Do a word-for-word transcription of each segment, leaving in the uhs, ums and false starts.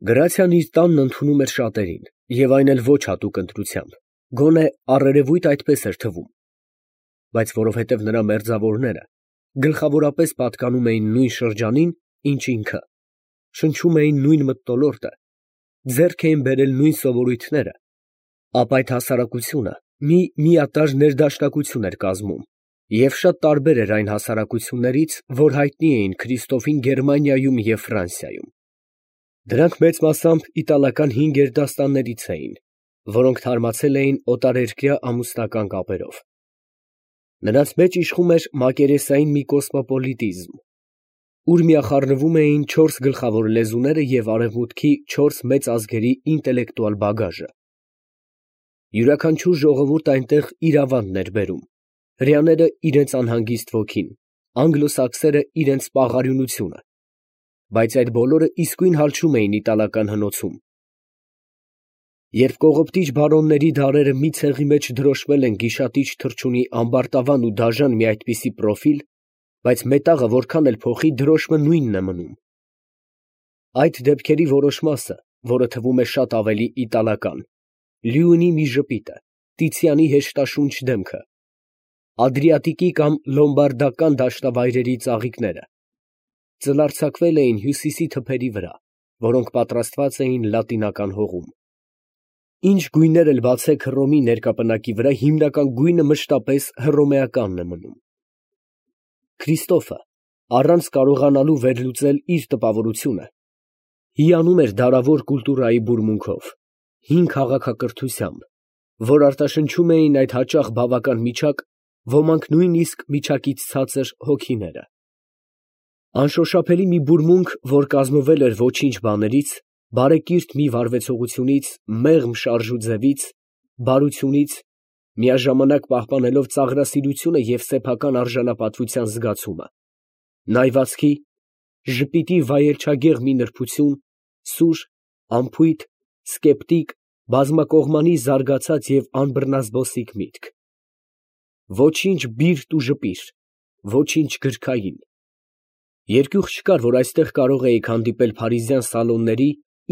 Գրացիան իր տանն ընդունում էր շատերին, և այն էլ ոչ հատուկ ընտրությամբ, գոնե առերևույթ այդպես էր թվում, բայց որովհետև նրա մերձավորները գլխավորապես պատկանում էին նույն շրջանին, ինչ ինքը, շնչում էին նույն մթնոլորտը, ձեռք էին բերել նույն սովորույթները, ապա այդ հասարակությունը մի միատարր ներդաշնակություն էր կազմում և շատ տարբեր էր այն հասարակություններից, որ հայտնի էին Քրիստոֆին Գերմանիայում և Ֆրանսիայում։ Դրանք մեծ մասամբ իտալական հին գերդաստաններից էին, որոնք թարմացել էին օտարերկրյա ամուսնական կապերով։ Նրանց մեջ իշխում էր մակերեսային մի կոսմոպոլիտիզմ, ուր միախառնվում էին չորս գլխավոր լեզուները և արևմուտքի չորս մեծ ազգերի ինտելեկտուալ բագաժը։ Յուրաքանչյուր ժողովուրդ այնտեղ իր ավանդն էր բերում, հրեաները իրենց անհանգիստ ոգին, անգլոսաքսերը իրենց պաղարյունությունը, բայց այդ բոլորը իսկույն հալչում էին իտալական հնոցում։ Երբ կողոպտիչ բարոնների դարերը մի ցեղի մեջ դրոշմել են գիշատիչ թռչունի ամբարտավան ու դաժան մի այդպիսի պրոֆիլ, բայց մետաղը որքան էլ փոխի, դրոշմը նույնն է մնում։ Այդ դեպքերի որոշ մասը, որը թվում է շատ ավելի իտալական, Լիունի մի ժպիտը, Տիցիանի հեշտաշունչ դեմքը, Ադրիատիկի կամ լոմբարդական դաշտավայրերի ծաղիկները, ծլարձակվել էին հյուսիսի թփերի վրա, որոնք պատրաստված էին լատինական հողում։ Ինչ գույներ էլ բացեք Հռոմի ներկապնակի վրա, հիմնական գույնը մշտապես հռոմեականն է մնում։ Քրիստոֆը, առանց կարողանալու վերլուծել իր տպավորությունը, հիանում էր դարավոր կուլտուրայի բուրմունքով, հին քաղաքակրթությամբ, որ արտաշնչում էին այդ հաճախ բավական միջակ, ոմանք նույնիսկ միջակից ցածր հոգիները։ Անշոշափելի մի բուրմունք, որ կազմվել էր ոչինչ բաներից, բարեկիրթ մի վարվեցողությունից, մեղմ շարժուձևից, բարությունից, միաժամանակ պահպանելով ծաղրասիրությունը և սեփական արժանապատվության զգացումը, նայվածքի, ժպիտի վայելչագեղ մի նրբություն, սուր, անփույթ, սկեպտիկ, բազմակողմանի զարգացած և անբռնազբոսիկ միտք։ Ոչինչ բիրտ ու ժպիր, ոչինչ գրքային։ Երկյուղ չկար, որ այստեղ կարող էիք հանդիպել փարիզյան սալոնների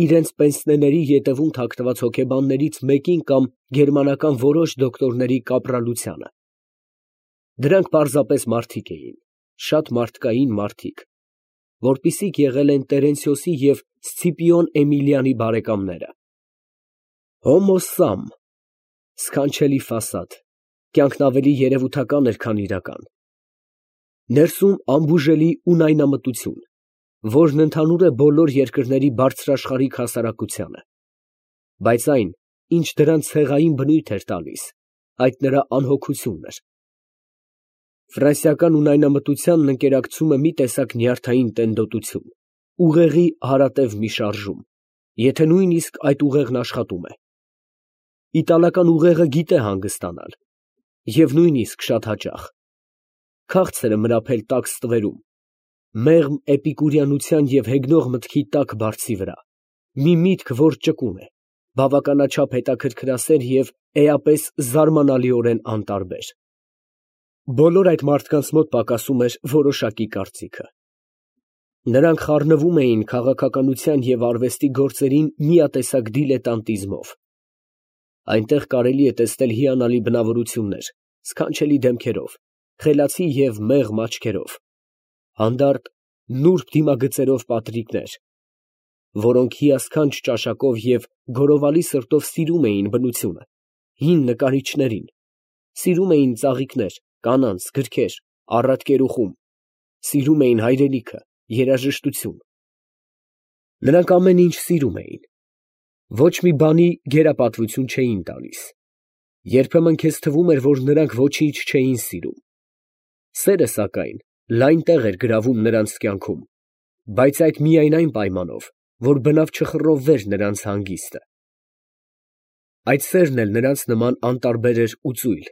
իրենց պենսնեների ետևում թաքնված հոգեբաններից մեկին կամ գերմանական որոշ դոկտորների կապրալությանը։ Դրանք պարզապես մարդիկ էին, շատ մարդկային մարդիկ, որպիսիք եղել են Տերենցիոսի և Սցիպիոն Էմիլիանի բարեկամները։ Հոմո սամ, սքանչելի ֆասադ, կյանքն ավելի երևութական էր, քան իրական։ Ներսում անբուժելի ունայնամտություն, որն ընդհանուր է բոլոր երկրների բարձրաշխարհիկ հասարակությանը, բայց այն, ինչ դրան ցեղային բնույթ էր տալիս, այդ նրա անհոգությունն էր։ Ֆրանսիական ունայնամտությանն ընկերակցում է մի տեսակ նյարդային տենդոտություն, ուղեղի հարատև մի շարժում, եթե նույնիսկ այդ ուղեղն աշխատում է։ Իտալական ուղեղը գիտե հանգստանալ, և նույնիսկ շատ հաճախ։ Քաղցր է մրափել տաք ստվերում, մեղմ էպիկուրյանության և հեգնող մտքի տաք բարձի վրա, մի միտք, որ ճկուն է, բավականաչափ հետաքրքրասեր և էապես զարմանալիորեն անտարբեր։ Բոլոր այդ մարդկանց մոտ պակասում էր որոշակի կարծիքը։ Նրանք խառնվում էին քաղաքականության և արվեստի գործերին միատեսակ դիլետանտիզմով։ Այնտեղ կարելի է տեսնել հիանալի բնավորություններ, սքանչելի դեմքերով, խելացի և մեղմ աչքերով, հանդարտ, նուրբ դիմագծերով պատրիկներ, որոնք հիասքանչ ճաշակով և գորովալի սրտով սիրում էին բնությունը, հին նկարիչներին, սիրում էին ծաղիկներ, կանանց, գրքեր, առատ կերուխում, սիրում էին հայրենիքը, երաժշտություն։ Նրանք ամեն ինչ սիրում էին, ոչ մի բանի գերապատվություն չէին տալիս։ Երբեմն քեզ թվում էր, որ նրանք ոչինչ չէին սիրում։ Սերը, սակայն, լայն տեղ էր գրավում նրանց կյանքում, բայց այդ միայն այն պայմանով, որ բնավ չխռովվեր նրանց հանգիստը։ Այդ սերն էլ նրանց նման անտարբեր էր ու ծույլ,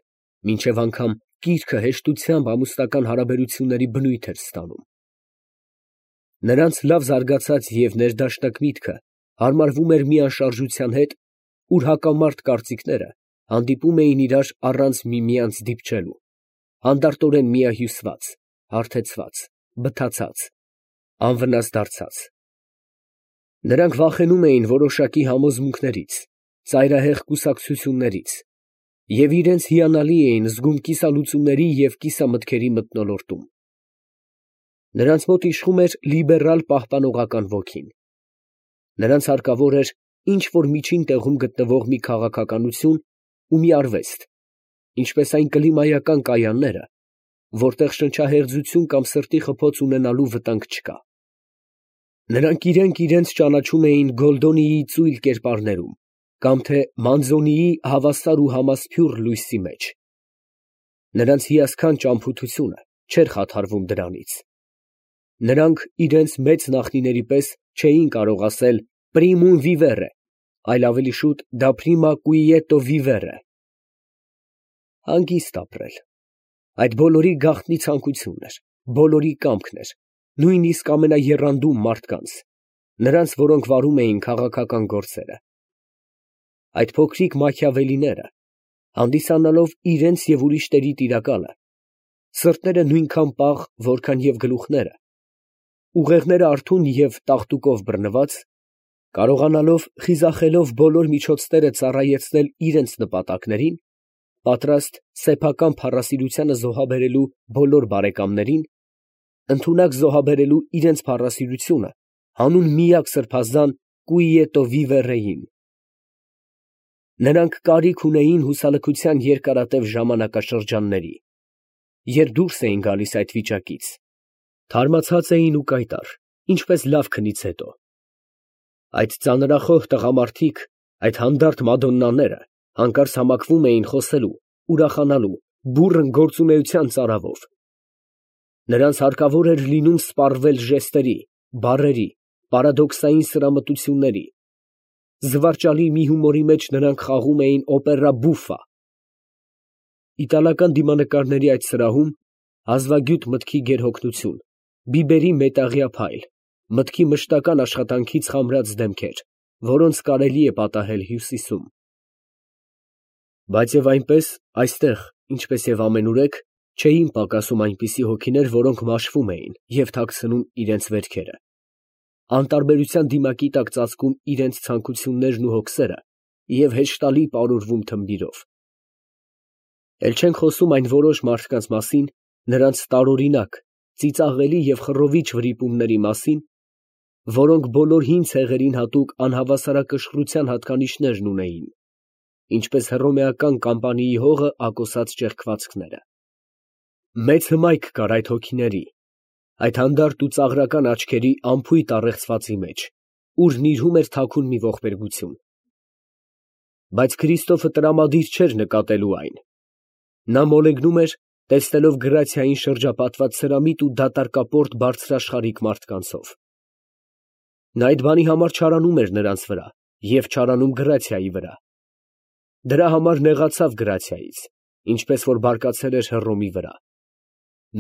մինչև անգամ կիրքը հեշտությամբ ամուսնական հարաբերությունների բնույթ էր ստանում։ Նրանց լավ զարգացած և ներդաշնակ միտքը հարմարվում էր մի անշարժության հետ, ուր հակամարտ կարծիքները հանդիպում էին իրար առանց միմյանց դիպչելու, հանդարտորեն միահյուսված, հարթեցված, բթացած, անվնաս դարձած։ Նրանք վախենում էին որոշակի համոզմունքներից, ծայրահեղ կուսակցություններից և իրենց հիանալի էին զգում կիսալուծումների և կիսամտքերի մթնոլորտում։ Նրանց մոտ իշխում էր լիբերալ պահպանողական ոգին։ Նրանց հարկավոր էր ինչ-որ միջին տեղում գտնվող մի քաղաքականություն ու մի արվեստ, ինչպես այն կլիմայական կայանները, որտեղ շնչահեղձություն կամ սրտի խփոց ունենալու վտանգ չկա։ Նրանք իրենք իրենց ճանաչում էին Գոլդոնիի ծույլ կերպարներում կամ թե Մանզոնիի հավասար ու համասփյուռ լույսի մեջ։ Նրանց հիասքանչ ճամփորդությունը չէր խաթարվում դրանից։ Նրանք իրենց մեծ նախնիների պես չէին կարող ասել «Primum vivere», այլ ավելի շուտ «Da prima quieto vivere» հանգիստ ապրել։ Այդ բոլորի գաղտնի ցանկություն էր, բոլորի կամքն էր, նույնիսկ ամենաեռանդուն մարդկանց, նրանց, որոնք վարում էին քաղաքական գործերը։ Այդ փոքրիկ Մաքիավելիները, հանդիսանալով իրենց և ուրիշների տիրակալը, սրտերը նույնքան պաղ, որքան և գլուխները, ուղեղները արթուն և տաղտուկով բռնված, կարողանալով խիզախելով բոլոր միջոցները ծառայեցնել իրենց նպատակներին, պատրաստ սեփական փառասիրությանը զոհաբերելու բոլոր բարեկամներին, ընդունակ զոհաբերելու իրենց փառասիրությունը հանուն միակ սրբազան «Quieto vivere»-ին։ Նրանք կարիք ունեին հուսալքության երկարատև ժամանակաշրջանների, երբ դուրս էին գալիս այդ վիճակից, թարմացած էին ու կայտառ, ինչպես լավ քնից հետո։ Այդ ծանրախոհ տղամարդիկ, այդ հանդարտ մադոննաները հանկարծ համակվում էին խոսելու, ուրախանալու, բուռն գործունեության ծարավով։ Նրանց հարկավոր էր լինում սպառվել ժեստերի, բառերի, պարադոքսային սրամտությունների, զվարճալի մի հումորի մեջ նրանք խաղում էին օպերա բուֆա։ Իտալական դիմանկարների այդ սրահում հազվագյուտ մտքի գերհոգնություն, բիբերի մետաղյա փայլ, մտքի մշտական աշխատանքից խամրած դեմքեր, որոնց կարելի է պատահել Հյուսիսում։ Բայց և այնպես, այստեղ, ինչպես և ամենուրեք, չէին պակասում այնպիսի հոգիներ, որոնք մաշվում էին և թաքցնում իրենց վերքերը, անտարբերության դիմակի տակ ծածկում իրենց ցանկություններն ու հոգսերը և հեշտալի պարուրվում թմբիրով։ Էլ չենք խոսում այն որոշ մարդկանց մասին, նրանց տարօրինակ, ծիծաղելի և խռովիչ վրիպումների մասին, որոնք բոլոր հին ցեղերին հատուկ անհավասարակշռության հատկանիշներն ունեին, ինչպես հռոմեական Կամպանիի հողը ակոսած ճեղքվածքները։ Մեծ հմայք կար այդ հոգիների, այդ հանդարտ ու ծաղրական աչքերի անփույթ առեղծվածի մեջ, ուր նիրհում էր թաքուն մի ողբերգություն։ Բայց Քրիստոֆը տրամադիր չէր նկատելու այն. նա մոլեգնում էր, տեսնելով գրացիային շրջապատված սրամիտ ու դատարկապորտ բարձրաշխարհիկ մարդկանցով։ Նա այդ բանի համար չարանում էր նրանց վրա և չարանում գրացիայի վրա։ Դրա համար նեղացավ գրացիայից, ինչպես որ բարկացել էր Հռոմի վրա։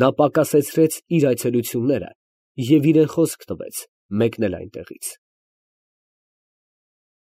Նա պակասեցրեց իր այցելությունները և իրեն խոսք տվեց մեկնել այնտեղից։